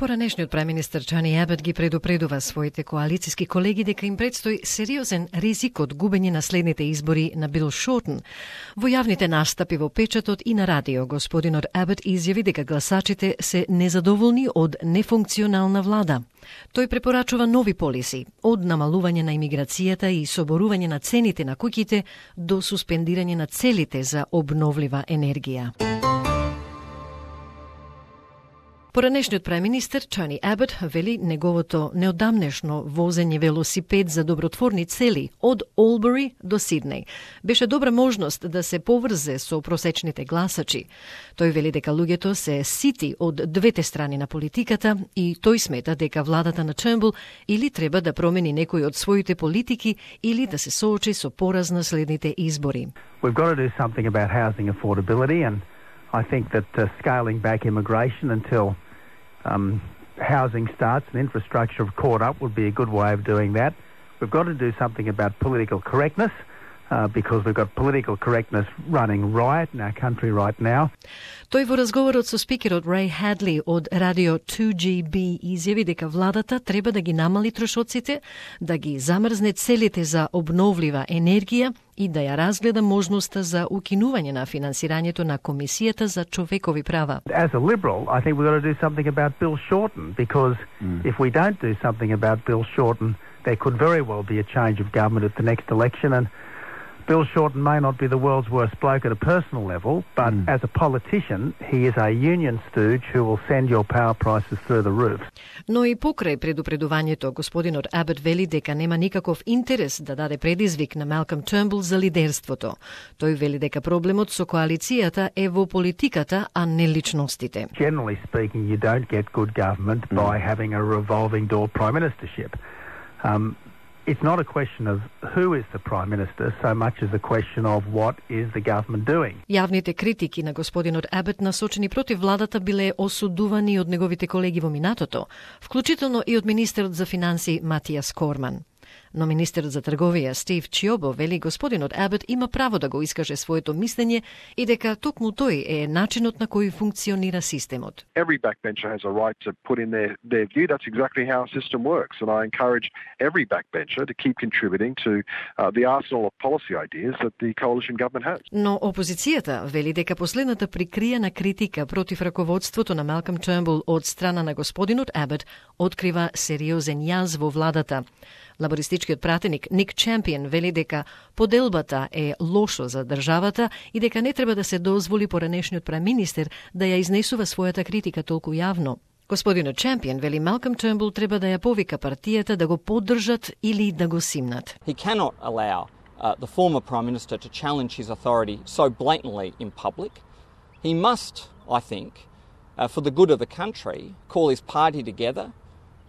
Поранешниот преминистер Тони Абот ги предупредува своите коалициски колеги дека им предстои сериозен ризик од губење на следните избори на Бил Шортен. Во јавните настапи во печатот и на радио, господинот Абот изјави дека гласачите се незадоволни од нефункционална влада. Тој препорачува нови полиси, од намалување на имиграцијата и соборување на цените на куќите до суспендирање на целите за обновлива енергија. Поранешниот преминистер Тони Абот вели неговото неодамнешно возење велосипед за добротворни цели од Олбери до Сиднеј беше добра можност да се поврзе со просечните гласачи. Тој вели дека луѓето се сити од двете страни на политиката и тој смета дека владата на Тurnbull или треба да промени некои од своите политики или да се соочи со пораз на следните избори. We've got to do something about housing affordability, and I think that scaling back immigration until housing starts and infrastructure have caught up would be a good way of doing that. We've got to do something about political correctness because we've got political correctness running riot in our country right now. Тој во разговорот со спикерот Рей Хадли од радио 2GB изјави дека владата треба да ги намали трошоците, да ги замрзне целите за обновлива енергија и да ја разгледа можноста за укинување на финансирањето на Комисијата за човекови права. As a Liberal, I think we've got to do something about Bill Shorten because if we don't do something about Bill Shorten, there could very well be a change of government at the next election, and Bill Shorten may not be the world's worst bloke at a personal level, but as a politician, he is a union stooge who will send your power prices through the roof. Но и покрај предупредувањето, господинот Абот вели дека нема никаков интерес да даде предизвик на Малком Turnbull за лидерството. Тој вели дека проблемот со коалицијата е во политиката, а не личностите. Generally speaking, you don't get good government by having a revolving door prime ministership. It's not a question of who is the Prime Minister so much as a question of what is the government doing. Јавните критики на господинот Абот насочени против владата биле осудувани од неговите колеги во минатото, вклучително и од министерот за финансии Матијас Корман. Но министерот за трговија Стив Чиобо вели господинот Абот има право да го искаже своето мислење и дека токму тој е начинот на кој функционира системот. Every backbencher has a right to put in their view. That's exactly how a system works. And I encourage every backbencher to keep contributing to the arsenal of policy ideas that the coalition government has. Но опозицијата вели дека последната прикриена критика против раководството на Малком Turnbull од страна на господинот Абот открива сериозен јаз во владата. Лабористичкиот пратеник Ник Чемпион вели дека поделбата е лошо за државата и дека не треба да се дозволи поранешниот преминистер да ја изнесува својата критика толку јавно. Господинот Чемпион вели Малком Turnbull треба да ја повика партијата да го поддржат или да го симнат. He cannot allow the former Prime Minister to challenge his authority so blatantly in public. He must, I think, for the good of the country, call his party together,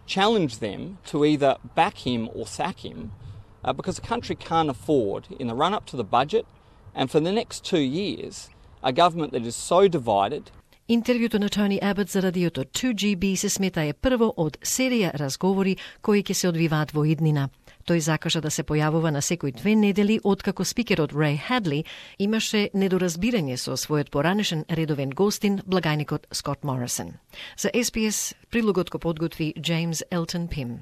challenge them to either back him or sack him because the country can't afford, in the run-up to the budget and for the next 2 years, a government that is so divided. Интервјуто на Тони Абот за радиото 2GB се смета е прво од серија разговори кои ќе се одвиваат во иднина. Тој закажа да се појавува на секој 2 недели откако спикерот Рей Хадли имаше недоразбирање со својот поранешен редовен гостин, благајникот Скот Морисон. За SBS, прилогот го подготви Джеймс Елтон Пим.